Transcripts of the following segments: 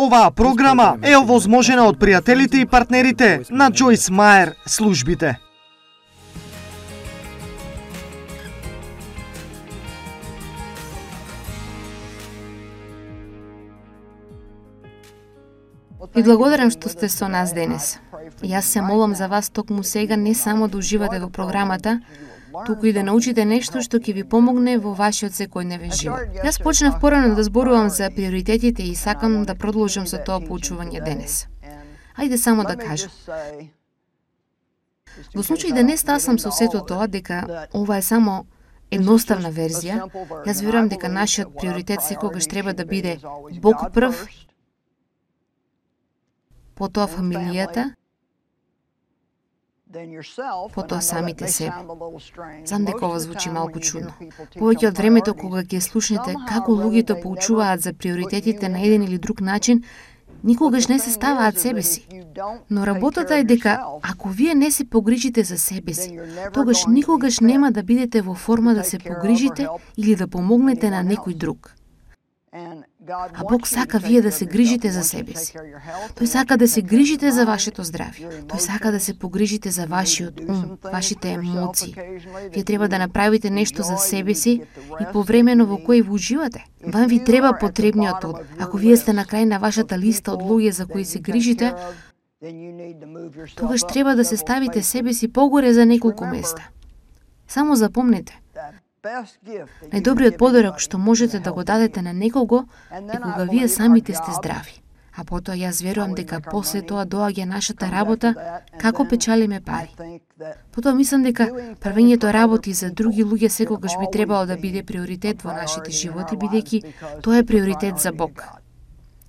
Оваа програма е овозможена од пријателите и партнерите на Джойс Мајер службите. Ви благодарам што сте со нас денес. Јас се молам за вас токму сега не само да уживате во програмата, туку и да научите нешто што ќе ви помогне во вашиот секојдневен живот. Јас почнав порано да зборувам за приоритетите и сакам да продолжам со тоа поучување денес. Ајде само да кажам. Во случај да не стасам со сето тоа дека ова е само едноставна верзија, јас верувам дека нашиот приоритет секогаш треба да биде Бог прв, потоа фамилијата, потоа самите себе. Знам дека ова звучи малку чудно. Повеќе од времето кога ќе слушнете како луѓето поучуваат за приоритетите на еден или друг начин, никогаш не се ставаат себе си. Но работата е дека ако вие не се погрижите за себе си, тогаш никогаш нема да бидете во форма да се погрижите или да помогнете на некој друг. А Бог сака вие да се грижите за себе си. Тој сака да се грижите за вашето здравје. Тој сака да се погрижите за вашиот ум, вашите емоции. Вие треба да направите нешто за себе си и повремено во кој ви уживате. Вам ви треба потребниот од. Ако вие сте на крај на вашата листа од луѓе за кои се грижите, тогаш треба да се ставите себе си погоре за неколку места. Само запомнете, најдобриот подарок што можете да го дадете на некого е кога вие самите сте здрави. А потоа јас верувам дека после тоа доаѓа нашата работа како печалиме пари. Потоа мислам дека правењето работи за други луѓе секогаш би требало да биде приоритет во нашите животи, бидејќи тоа е приоритет за Бог.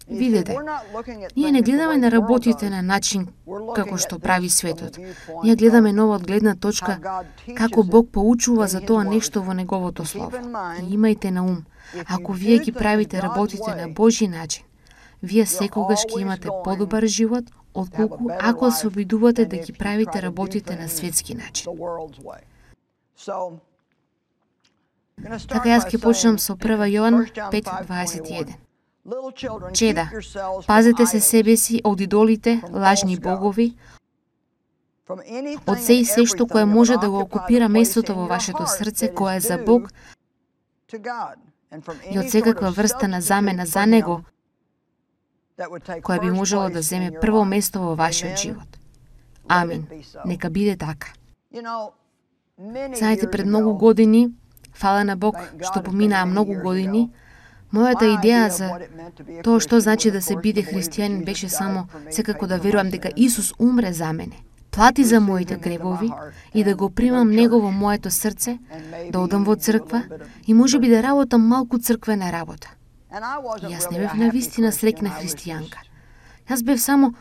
Видете, ние не гледаме на работите на начин како што прави светот. Ние гледаме ново од гледна точка како Бог поучува за тоа нешто во Неговото Слово. И имајте на ум, ако вие ги правите работите на Божји начин, вие секогаш ќе имате подобар живот, отколку ако се обидувате да ги правите работите на светски начин. Така јас ќе почнам со 1 Јован 5:21. Чеда, пазете се себе си од идолите, лажни богови, од се и се што кое може да го окупира местото во вашето срце, кое е за Бог, и од секаква врста на замена за Него, која би можело да земе прво место во вашиот живот. Амин. Нека биде така. Знаете, пред многу години, фала на Бог што поминаа многу години, мојата идеја за тоа што значи да се биде христијанин беше само секако да верувам дека Исус умре за мене, плати за моите гревови и да го примам Него во моето срце, да одам во црква и можеби да работам малку црквена работа. И јас не бев навистина среќна христијанка. Јас бев само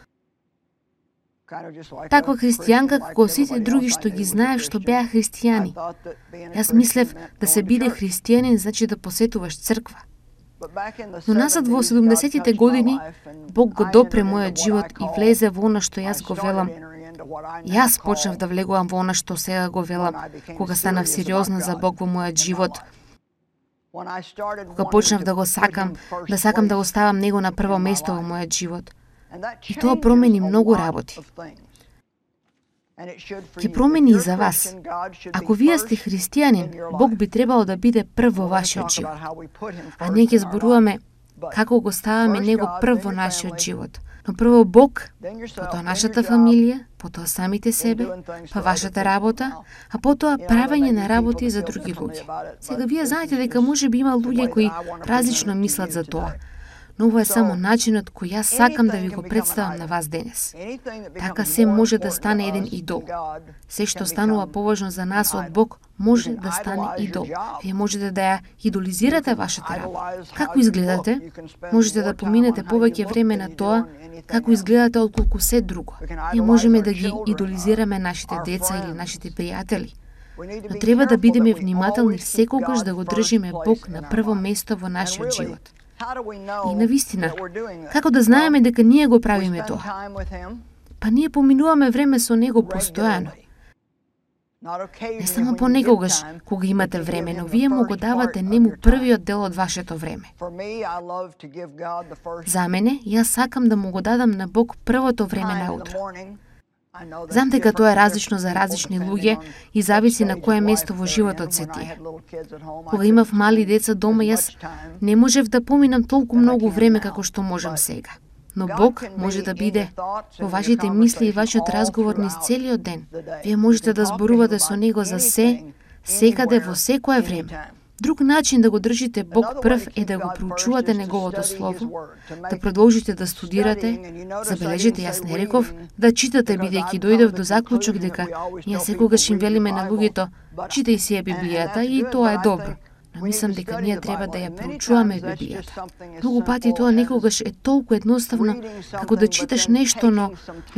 таква христијанка како сите други што ги знаев што беа христијани. Јас мислев да се биде христијанин значи да посетуваш црква. Но назад во 70-тите години, Бог го допре мојот живот и влезе во она што јас го велам. Јас почнав да влегувам во она што сега го велам, кога станав сериозна за Бог во мојот живот. Кога почнав да го сакам да го ставам Него на прво место во мојот живот. И тоа промени многу работи. Ќе промени и за вас. Ако вие сте христијанин, Бог би требало да биде прв во вашиот живот. А ние ќе зборуваме како го ставаме Него прв во нашиот живот. Но прво Бог, потоа нашата фамилија, потоа самите себе, па вашата работа, а потоа правење на работи за други луѓе. Сега вие знаете дека може би има луѓе кои различно мислат за тоа. Но ова е само начинот кој јас сакам да ви го представам на вас денес. Така се може да стане еден идол. Се што станува поважно за нас од Бог може да стане идол. Вие можете да ја идолизирате вашата работа. Како изгледате? Можете да поминете повеќе време на тоа како изгледате отколку се друго. Ние можеме да ги идолизираме нашите деца или нашите пријатели. Но треба да бидеме внимателни секогаш да го држиме Бог на прво место во нашиот живот. И навистина, како да знаеме дека ние го правиме тоа? Па ние поминуваме време со Него постојано. Не само понекогаш, кога имате време, но вие му го давате нему првиот дел од вашето време. За мене, јас сакам да му го дадам на Бог првото време на утро. Знам дека тоа е различно за различни луѓе и зависи на кое место во животот се тие. Кога имав мали деца дома, јас не можев да поминам толку многу време како што можам сега. Но Бог може да биде во вашите мисли и вашиот разговор низ целиот ден. Вие можете да зборувате со Него за се, секаде, во секое време. Друг начин да го држите Бог прв е да го проучувате Неговото Слово, да продолжите да студирате, забележите, јас не реков, да читате, бидејќи дојдов до заклучок дека ние секогаш им велиме на луѓето, читај си ја Библијата и тоа е добро. Но мислам дека ние треба да ја проучуваме Библијата. Многу пати тоа некогаш е толку едноставно како да читаш нешто, но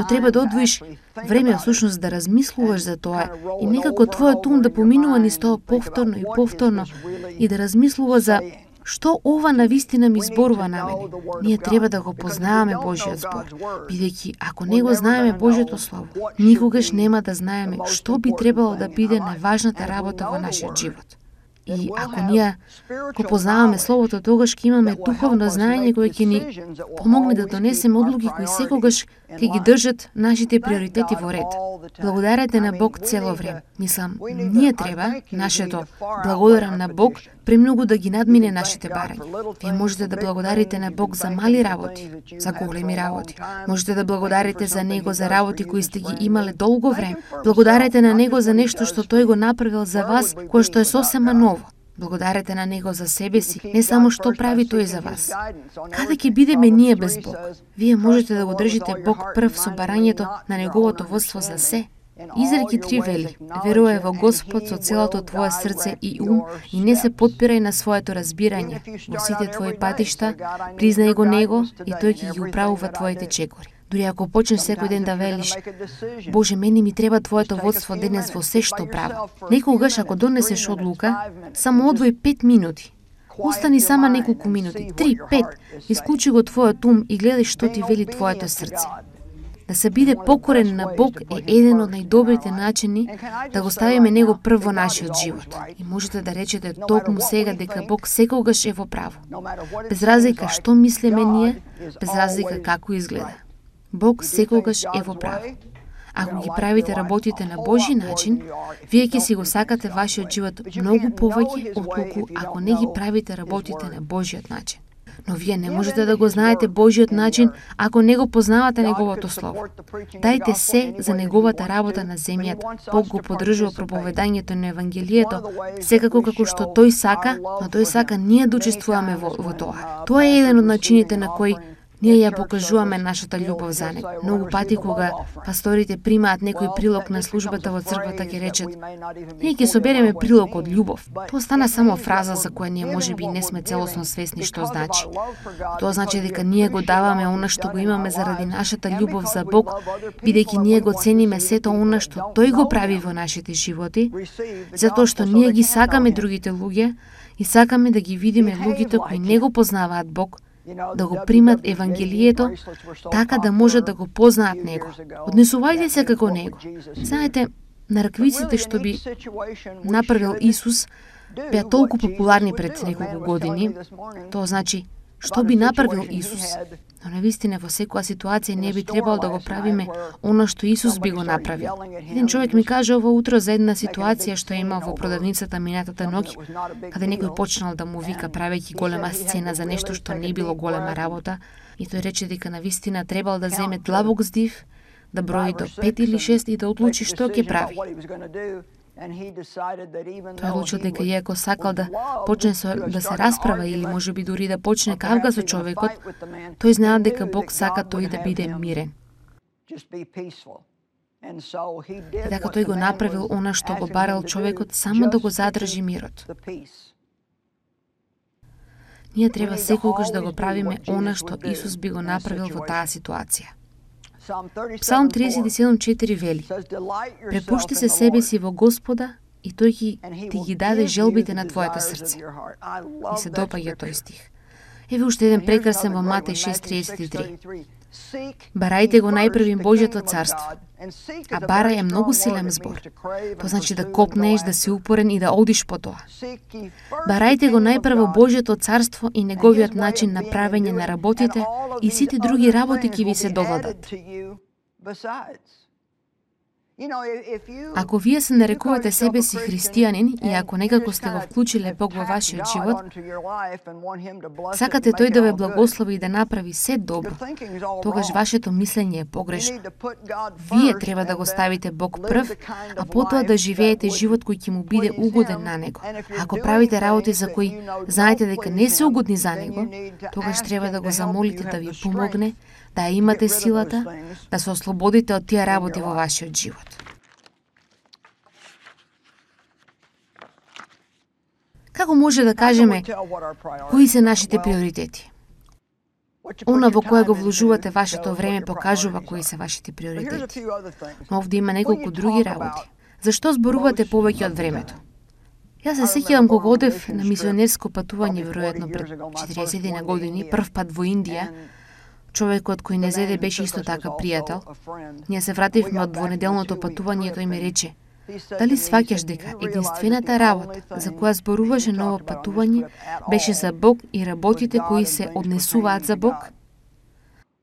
треба да одвоиш време всушност да размислуваш за тоа и некако твојот ум да поминува низ тоа повторно и повторно и да размислува за што ова навистина ми зборува на мене. Ние треба да го познаваме Божиот збор, бидејќи ако не го знаеме Божиото Слово, никогаш нема да знаеме што би требало да биде најважната работа во нашиот живот. И ако ние го познаваме Словото, тогаш ќе имаме духовно знаење кое ќе ни помогне да донесеме одлуки кои секогаш ќе ги држат нашите приоритети во ред. Благодарете на Бог цело време. Мислам, ние треба нашето благодарам на Бог премногу да ги надмине нашите барања. Вие можете да благодарите на Бог за мали работи, за големи работи. Можете да благодарите за Него за работи кои сте ги имале долго време. Благодарете на Него за нешто што Тој го направил за вас, кое што е сосема ново. Благодарете на Него за себе си, не само што прави Тој за вас. Каде ќе бидеме ние без Бог? Вие можете да го држите Бог прв со барањето на Неговото водство за се. Изреки 3 вели: верувај во Господ со целото твое срце и ум и не се потпирај на своето разбирање. Во сите твои патишта признај го Него и Тој ќе ги управува твоите чекори. Дури ако почнеш секој ден да велиш: Боже, мене ми треба Твоето водство денес во се што правам. Некогаш ако донесеш одлука, само одвој 5 минути. Остани сама неколку минути, 3, 5, исклучи го твојот ум и гледај што ти вели твоето срце. Да се биде покорен на Бог е еден од најдобрите начини да го ставиме Него прв во нашиот живот. И можете да речете токму сега дека Бог секогаш е во право. Без разлика што мислиме ние, без разлика како изгледа. Бог секогаш е во право. Ако ги правите работите на Божи начин, вие ќе си го сакате вашиот живот многу повеќе отколку ако не ги правите работите на Божиот начин. Но вие не можете да го знаете Божиот начин ако не го познавате Неговото Слово. Дајте се за Неговата работа на земјата. Бог го поддржува проповедањето на Евангелието, секако како што Тој сака, но Тој сака ние да учествуваме во тоа. Тоа е еден од начините на кој ние ја покажуваме нашата љубов за Него. Многу пати кога пасторите примаат некој прилог на службата во црквата, ќе речат: ние ќе собереме прилог од љубов. Тоа стана само фраза за која ние можеби не сме целосно свесни што значи. Тоа значи дека ние го даваме она што го имаме заради нашата љубов за Бог, бидејќи ние го цениме сето она што Тој го прави во нашите животи, затоа што ние ги сакаме другите луѓе и сакаме да ги видиме луѓето кои не го познаваат Бог, да го примат Евангелието, така да можат да го познаат Него. Однесувајте се како Него. Знаете, нараквиците што би направил Исус беа толку популарни пред неколку години. Тоа значи, што би направил Исус? Но навистина во секоја ситуација не би требало да го правиме она што Исус би го направил. Еден човек ми каже ова утро за една ситуација што имал во продавницата минатата ноќ, каде некој почнал да му вика правејќи голема сцена за нешто што не било голема работа, и тој рече дека навистина требал да земе длабок здив, да брои до 5 или 6 и да одлучи што ќе прави. Тој одлучил дека иако сакал да почне да се расправа или можеби дури да почне кавга со човекот, тој знаел дека Бог сака тој да биде мирен. И така тој го направил она што го барал човекот, само да го задржи мирот. Ние треба секогаш да го правиме она што Исус би го направил во таа ситуација. Псалм 37:4 вели: препушти се себе си во Господа и Тој ти ги даде желбите на твоето срце. И се допаѓа тој стих. Еве уште еден прекрасен во Матеј 6:33. Барајте го најпрвим Божјото царство А бара е многу силен збор. Тоа значи да копнеш, да си упорен и да одиш по тоа. Барајте го најпрво Божјото царство и неговиот начин на правење на работите и сите други работи ќе ви се додадат. Ако вие се нарекувате себе си христијанин и ако некако сте го вклучиле Бог во вашиот живот, сакате тој да ве благослови и да направи се добро, тогаш вашето мислење е погрешно. Вие треба да го ставите Бог прв, а потоа да живеете живот кој ќе му биде угоден на Него. Ако правите работи за кои знаете дека не се угодни за Него, тогаш треба да го замолите да ви помогне, да имате силата, да се ослободите од тие работи во вашиот живот. Како може да кажеме кои се нашите приоритети? Она во кое го вложувате вашето време покажува кои се вашите приоритети. Но овде има неколку други работи. Зашто зборувате повеќе од времето? Јас се сеќавам кога одев на мисионерско патување веројатно пред 40 години, прв пат во Индија. Човекот кој не зеде беше исто така пријател. Ние се вративме од двонеделното патување и тој ми рече: дали сваќаш дека единствената работа за која зборуваше на ово патување беше за Бог и работите кои се однесуваат за Бог?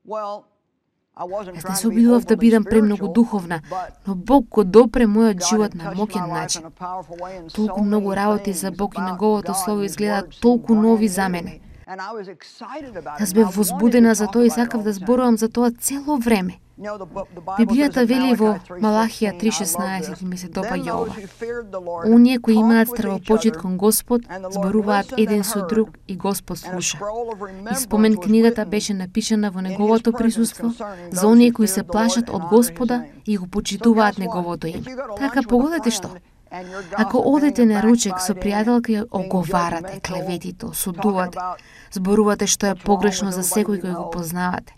Јас не се обидував да бидам премногу духовна, но Бог го допре мојот живот на моќен начин. Толку многу работи за Бог и неговото слово изгледаат толку нови за мене. Јас бев возбудена за тоа и сакав да зборувам за тоа цело време. Библијата вели во Малахија 3:16 и ми се допаѓа ова: оние кои имаат стравопочит кон Господ зборуваат еден со друг и Господ слуша. И спомен книгата беше напишана во неговото присуство за оние кои се плашат од Господа и го почитуваат неговото име. Така погодете што? Ако одете на ручек со пријателка и оговарате, клеветите, осудувате, зборувате што е погрешно за секој кој го познавате,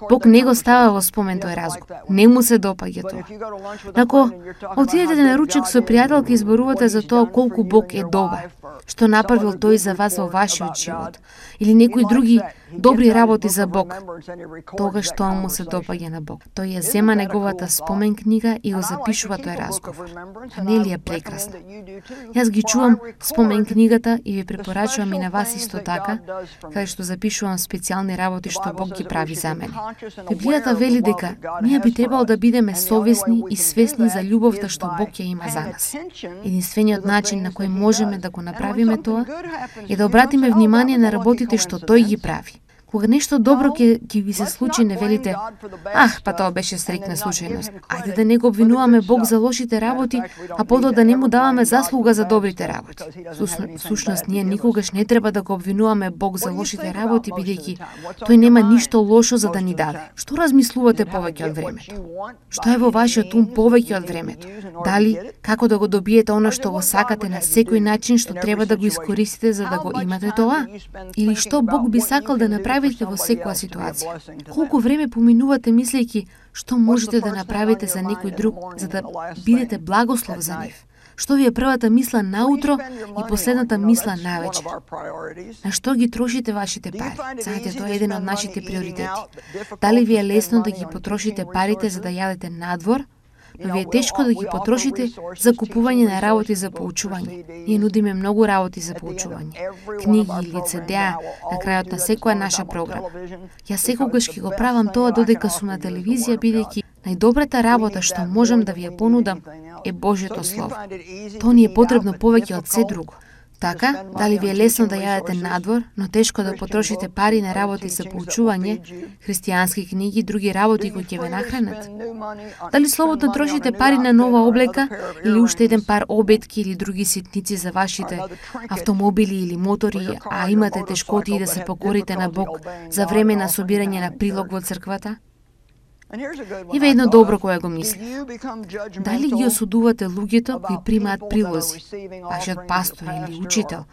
Бог не го става во спомен тој разговор. Не му се допаѓа тоа. Ако отидете на ручек со пријателка и зборувате за тоа колку Бог е добар, што направил тој за вас во вашиот живот, или некои други добри работи за Бог, тогаш тоа му се допаѓа на Бог. Тој ја зема неговата спомен книга и го запишува тој разговор. А не ли е прекрасно? Јас ги чувам спомен книгата и ви препорачувам и на вас исто така, каде што запишувам специјални работи што Бог ги прави за мене. Библијата вели дека ние би требало да бидеме совесни и свесни за љубовта што Бог ја има за нас. Единствениот начин на кој можеме да го направиме тоа е да обратиме внимание на работите што Тој ги прави. Кога нешто добро ќе ви се случи, не велите: па тоа беше среќна случајност. Ајде да не го обвинуваме Бог за лошите работи, а потоа да не му даваме заслуга за добрите работи. Всушност, ние никогаш не треба да го обвинуваме Бог за лошите работи, бидејќи тој нема ништо лошо за да ни даде. Што размислувате повеќе од времето? Што е во вашиот ум повеќе од времето? Дали како да го добиете она што го сакате на секој начин, што треба да го искористите за да го имате тоа? Или што Бог би сакал да направи во секоја ситуација? Колку време поминувате мислејќи што можете да направите за некој друг за да бидете благослов за нив? Што ви е првата мисла наутро и последната мисла навечер? На што ги трошите вашите пари? Знаете, тоа е еден од нашите приоритети. Дали ви е лесно да ги потрошите парите за да јадете надвор, но ви е тешко да ги потрошите за купување на работи за поучување? Ние нудиме многу работи за поучување. Книги или CD-а на крајот на секоја наша програма. Јас секогаш ќе го правам тоа додека сум на телевизија, бидејќи најдобрата работа што можам да ви ја понудам е Божјото Слово. Тоа ни е потребно повеќе од се друго. Така, дали ви е лесно да јадете надвор, но тешко да потрошите пари на работи за поучување, христијански книги и други работи кои ќе ве нахранат? Дали слободно трошите пари на нова облека или уште еден пар обетки или други ситници за вашите автомобили или мотори, а имате тешкоти да се покорите на Бог за време на собирање на прилог во црквата? Има едно добро кое го мисли. Дали ги осудувате луѓето кои примаат прилози, вашиот пастор или учител,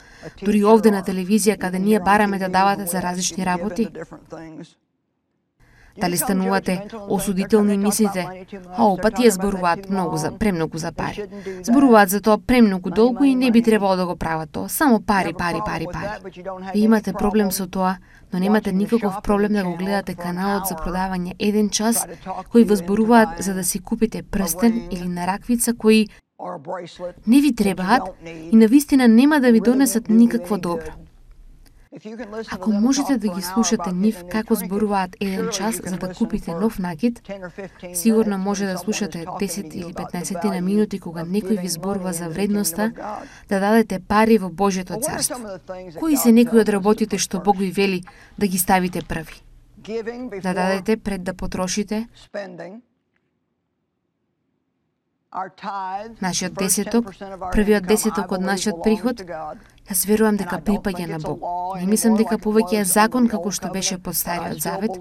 дури овде на телевизија каде ние бараме да давате за различни работи? Дали станувате осудителни и мислите, па тие зборуваат премногу за пари. Зборуваат за тоа премногу долго и не би требало да го прават тоа, само пари. Ви имате проблем со тоа, но немате никаков проблем да го гледате каналот за продавање еден час, кои возборуваат за да си купите прстен или нараквица кои не ви требаат и навистина нема да ви донесат никакво добро. Ако можете да ги слушате нив како зборуваат еден час за да купите нов накид, сигурно може да слушате 10 или 15 на минути кога некој ви зборува за вредноста да дадете пари во Божјето царство. Кои се некои од работите што Бог ви вели да ги ставите први? Да дадете пред да потрошите? Нашиот десеток, првиот десеток од нашиот приход, јас верувам дека припаѓа на Бог. Не мислам дека повеќе е закон како што беше по Стариот Завет.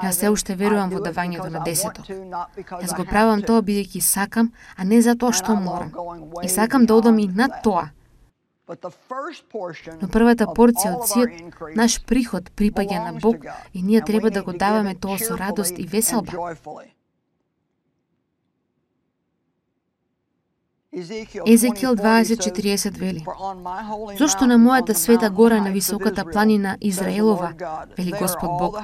Јас се уште верувам во давањето на десеток. Јас го правам тоа бидејќи сакам, а не затоа што морам. И сакам да одам и над тоа. Но првата порција од сиот наш приход припаѓа на Бог и ние треба да го даваме тоа со радост и веселба. Езекијел 20:40 вели: Зошто на мојата света гора на високата планина Израелова, вели Господ Бог,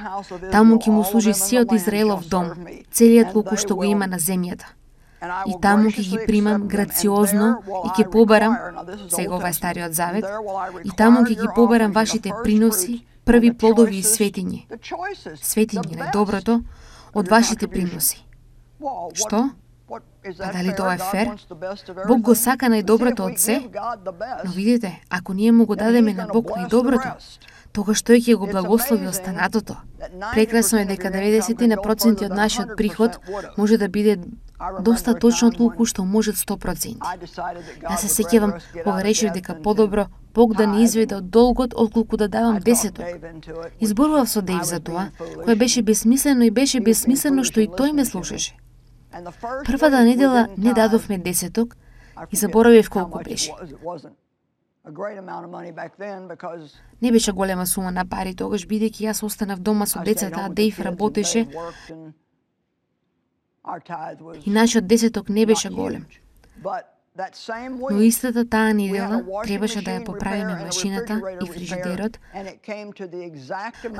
таму ќе му служи сиот Израелов дом, целиот луку што го има на земјата. И таму ќе ги примам грациозно и ќе побарам, сега ова е Стариот Завет, и таму ќе ги побарам вашите приноси, први плодови и светињи. Светињи на доброто од вашите приноси. Што? А дали тоа е фер? Бог го сака најдоброто од се, но видите, ако ние му го дадеме на Бог најдоброто, тогаш тој ќе го благослови останатото. Прекрасно е дека 90% од нашиот приход може да биде доста точно толку што може 100%. Јас се сеќавам кога решив дека подобро Бог да не изведе од долгот отколку да давам десеток. Изборував со Дејв за тоа, кое беше бесмислено и беше бесмислено што и тој ме слушаше. Првата недела не дадовме десеток и заборавив колку беше. Не беше голема сума на пари тогаш, бидејќи јас останав дома со децата, а Дејв работеше и нашиот десеток не беше голем. Но истата таа недела требаше да ја поправиме машината и фрижидерот.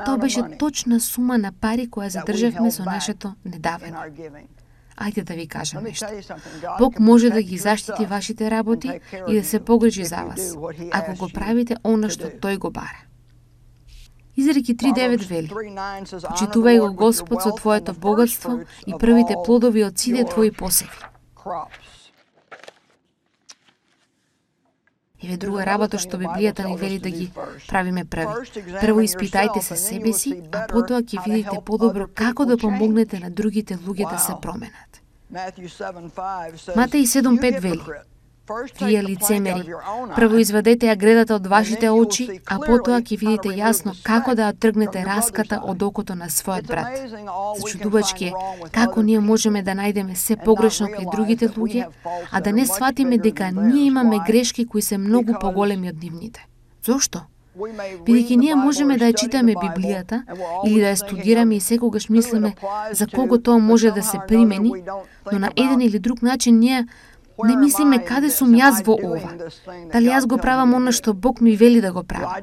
Тоа беше точна сума на пари која задржавме со нашето недавање. Ајде да ви кажам нешто. Бог може да ги заштити вашите работи и да се погрижи за вас, ако го правите она што тој го бара. Изреки 3:9 вели: Почитувај го Господ со твоето богатство и првите плодови од сите твои посеви. Еве друга работа што Библијата ни вели да ги правиме први. Прво испитајте се себе си, а потоа ќе видите подобро како да помогнете на другите луѓе да се променат. Матеј 7:5 вели: Вие лицемери, прво извадете ја гредата од вашите очи, а потоа ќе видите јасно како да ја тргнете раската од окото на својот брат. Зачудувачки е како ние можеме да најдеме се погрешно кај другите луѓе, а да не сватиме дека ние имаме грешки кои се многу поголеми од нивните. Зошто? Бидејќи ние можеме да ја читаме Библијата или да ја студираме и секогаш мислиме за кого тоа може да се примени, но на еден или друг начин ние не мислиме каде сум јас во ова. Дали јас го правам она што Бог ми вели да го правам?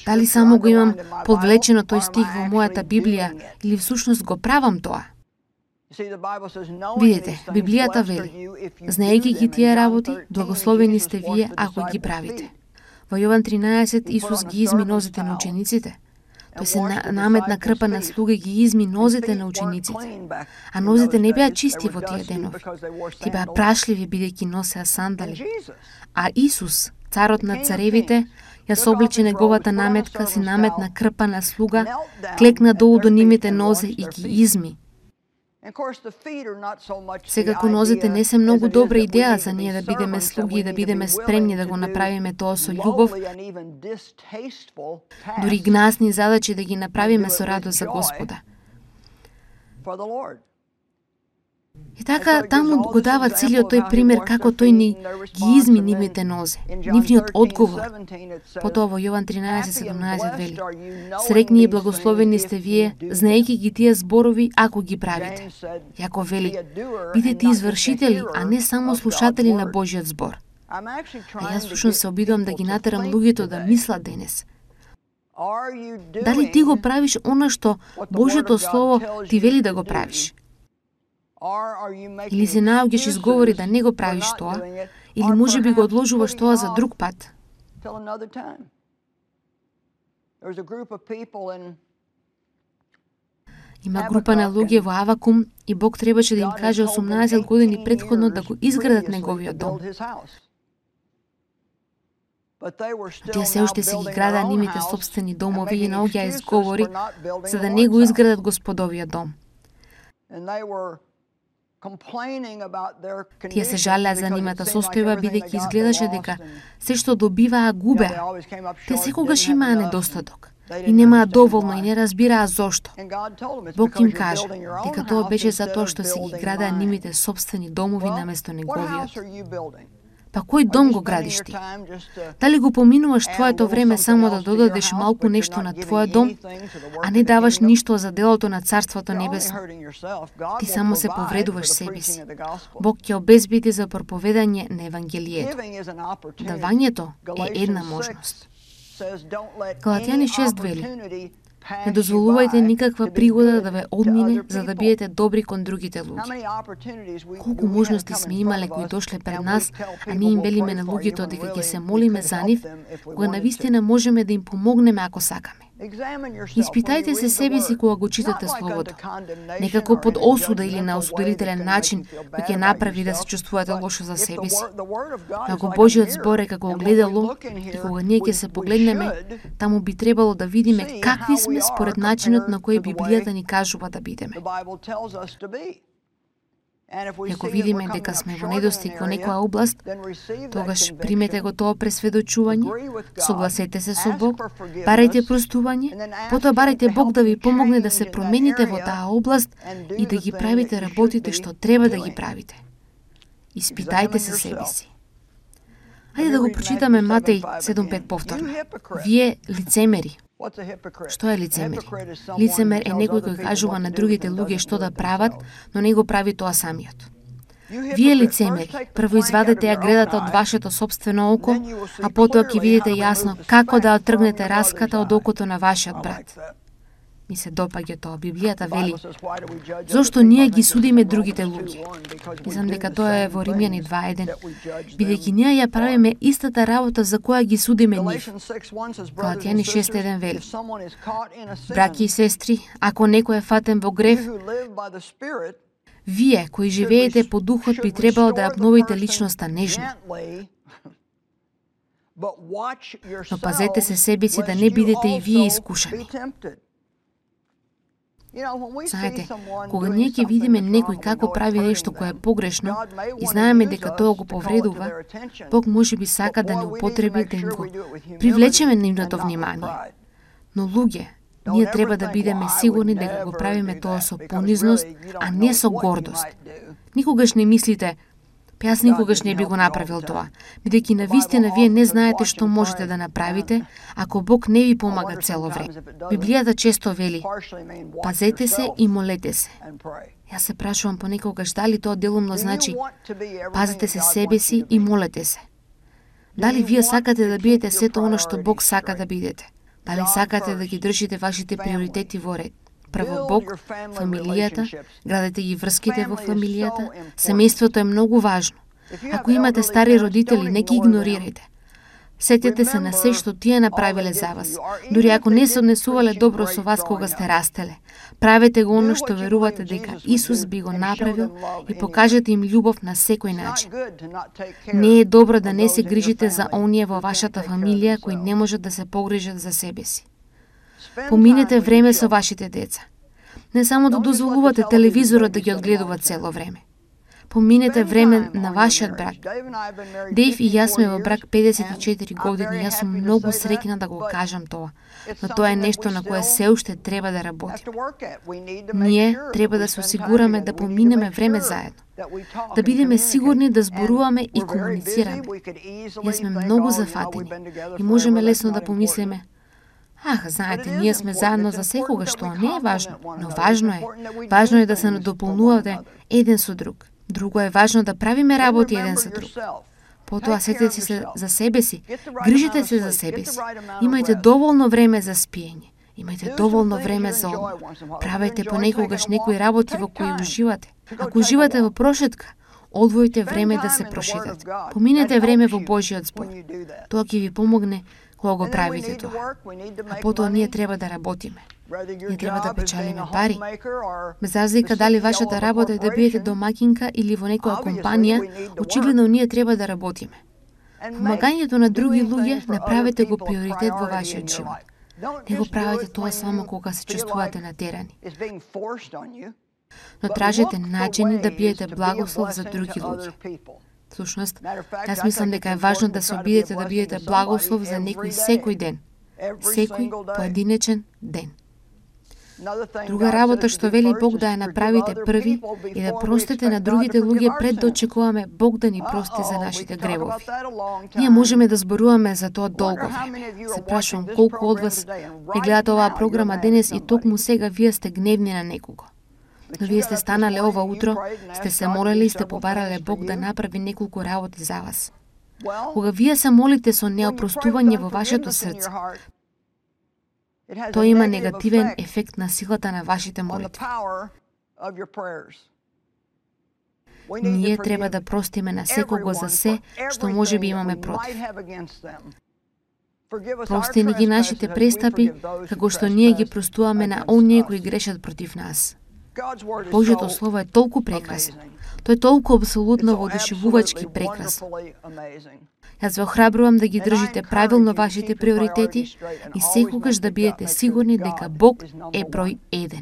Дали само го имам подвлечено тој стих во мојата Библија или всушност го правам тоа? Видете, Библијата вели: Знаејќи ги тие работи, благословени сте вие ако ги правите. Во Јован 13 Исус ги изми нозете на учениците. Тој се наметна крпа на слуга и ги изми нозете на учениците. А нозете не беа чисти во тие денови. Ти беа прашливи бидејќи носеа сандали. А Исус, царот на царевите, ја соблече неговата наметка, си наметна крпа на слуга, клекна долу до нивните нозе и ги изми. Секако нозете не се многу добра идеја за ние да бидеме слуги и да бидеме спремни да го направиме тоа со љубов, дури гнасни задачи да ги направиме со радост за Господа. И така, таму го дава целиот тој пример како тој ни ги изми нивните нозе, нивниот одговор. Потоа во Јован 13:17 вели: Среќни и благословени сте вие, знаејќи ги тие зборови, ако ги правите. Јаков вели: бидете извршители, а не само слушатели на Божјиот збор. А јас всушност се обидувам да ги натерам луѓето да мислат денес. Дали ти го правиш она што Божјото Слово ти вели да го правиш? Или се наоѓаш изговори да не го правиш тоа, или можеби го одложуваш тоа за друг пат? Има група на луѓе во Авакум и Бог требаше да им каже 18 години претходно да го изградат неговиот дом. Тие се уште се ги градаа нивните собствени домови и наоѓаа изговори за да не го изградат Господовиот дом. Тие се жалеа за нивната состојба, бидејќи изгледаше дека се што добиваа губеа. Те секогаш имаа недостаток и немаа доволно и не разбираа зошто. Бог им кажа дека тоа беше затоа што се ги градаа нивните собствени домови наместо неговиот. Па кој дом го градиш ти? Дали го поминуваш твоето време само да додадеш малку нешто на твојот дом, а не даваш ништо за делото на Царството Небесно? Ти само се повредуваш себе си. Бог ќе обезбеди за проповедање на Евангелието. Давањето е една можност. Галатјани 6 вели: не дозволувајте никаква пригода да ве одмине за да биете добри кон другите луѓе. Колку можности сме имале кои дошле пред нас, а ние им велиме на луѓето дека ќе се молиме за нив, кога навистина можеме да им помогнеме ако сакаме. Испитајте се себе си кога го читате Словото. Некако под осуда или на осудителен начин кој ќе направи да се чувствувате лошо за себе си. Ако Божиот збор е како огледало и кога ние ќе се погледнеме, таму би требало да видиме какви сме според начинот на кој Библијата ни кажува да бидеме. И ако видиме дека сме во недостиг во некоја област, тогаш примете го тоа пресведочување, согласете се со Бог, барајте простување, потоа барајте Бог да ви помогне да се промените во таа област и да ги правите работите што треба да ги правите. Испитајте се себе си. Ајде да го прочитаме Матеј 7:5 повторно. Вие лицемери. Што е лицемер? Лицемер е некој кој кажува на другите луѓе што да прават, но не го прави тоа самиот. Вие лицемери, прво извадете ја гредата од вашето собствено око, а потоа ќе видите јасно како да отргнете раската од окото на вашиот брат. Ми се допаѓа тоа. Библијата вели: зошто ние ги судиме другите луѓе? Мислам дека тоа е во Римјани 2:1. Бидејќи ние ја правиме истата работа за која ги судиме нив. Галатјани 6:1 вели: браќи и сестри, ако некој е фатен во грев, вие кои живеете по духот би требало да ја обновите личноста нежно. Но пазете се себе си да не бидете и вие искушани. Знаете, кога ние ќе видиме некој како прави нешто кое е погрешно и знаеме дека тоа го повредува, Бог може би сака да не употреби да им го привлечеме нивното внимание. Но луѓе, ние треба да бидеме сигурни дека го правиме тоа со понизност, а не со гордост. Никогаш не мислите: јас никогаш не би го направил тоа, бидејќи навистина вие не знаете што можете да направите ако Бог не ви помага цело време. Библијата често вели: пазете се и молете се. Јас се прашувам понекогаш дали тоа делумно значи пазете се себе си и молете се. Дали вие сакате да бидете сето оно што Бог сака да бидете? Дали сакате да ги држите вашите приоритети во ред? Прво Бог, фамилијата, градете ги врските во фамилијата, семејството е многу важно. Ако имате стари родители, не ги игнорирајте. Сетете се на се што тие направиле за вас, дури ако не се однесувале добро со вас кога сте растеле. Правете го оно што верувате дека Исус би го направил и покажете им љубов на секој начин. Не е добро да не се грижите за оние во вашата фамилија кои не можат да се погрижат за себе си. Поминете време со вашите деца. Не само да дозволувате телевизорот да ги одгледува цело време. Поминете време на вашиот брак. Дейв и јас сме во брак 54 години. Јас сум многу среќна да го кажам тоа. Но тоа е нешто на кое се уште треба да работиме. Ние треба да се осигураме да поминеме време заедно. Да бидеме сигурни да зборуваме и комуницираме. Јас сме многу зафатени и можеме лесно да помислиме: знаете, ние сме заедно за секогаш, тоа не е важно, но важно е. Важно е да се надополнувате еден со друг. Друго е важно да правиме работи еден за друг. Потоа сетете се за себе си, грижете се за себе си. Имајте доволно време за спиење. Имајте доволно време за одмор. Правете понекогаш некои работи во кои уживате. Ако уживате во прошетка, одвојте време да се прошетате. Поминете време во Божиот збор. Тоа ќе ви помогне кога го правите тоа. А потоа ние треба да работиме. Ние треба да печалиме пари. Без разлика дали вашата работа е да бидете домакинка или во некоја компанија, очигледно ние треба да работиме. Помагањето на други луѓе направете го приоритет во вашиот живот. Не го правите тоа само кога се чувствувате натерани. Но тражете начини да биете благослов за други луѓе. Всушност, јас мислам дека е важно да се обидете да бидете благослов за некој секој ден. Секој поединечен ден. Друга работа што вели Бог да ја направите први и да простите на другите луѓе пред да очекуваме Бог да ни прости за нашите гревови. Ние можеме да зборуваме за тоа долго време. Се прашувам колку од вас ја гледате оваа програма денес и токму сега вие сте гневни на некого. Но вие сте станале ова утро, сте се молели и сте побарале Бог да направи неколку работи за вас. Кога вие се молите со неопростување во вашето срце, тоа има негативен ефект на силата на вашите молитви. Ние треба да простиме на секого за се што може би имаме против. Прости ни ги нашите престапи, како што ние ги простуваме на оние кои грешат против нас. Божјото Слово е толку прекрасно. Тоа е толку апсолутно воодушевувачки прекрасно. Јас ве охрабрувам да ги држите правилно вашите приоритети и секогаш да бидете сигурни дека Бог е број 1.